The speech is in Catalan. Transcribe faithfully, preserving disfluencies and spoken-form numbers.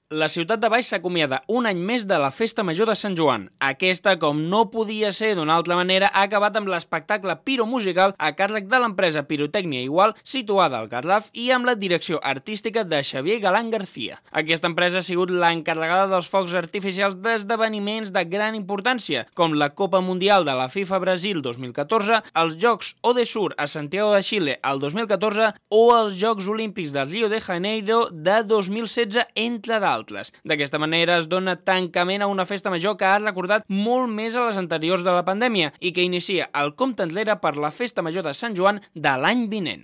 La ciutat de Baix s'acomiada un any més de la Festa Major de Sant Joan. Aquesta, com no podia ser d'una altra manera, ha acabat amb l'espectacle piromusical a càrrec de l'empresa Pirotècnia Igual, situada al Garraf, i amb la direcció artística de Xavier Galán García. Aquesta empresa ha sigut l'encarregada dels focs artificials d'esdeveniments de gran importància, com la Copa Mundial de la FIFA Brasil dos mil catorze, els Jocs Odesur a Santiago de Xile el dos mil catorze o els Jocs Olímpics de Rio de Janeiro de dos mil setze, entre d'altres. D'aquesta manera es dona tancament a una festa major que ha recordat molt més a les anteriors de la pandèmia i que inicia el compte enrere per la Festa Major de Sant Joan de l'any vinent.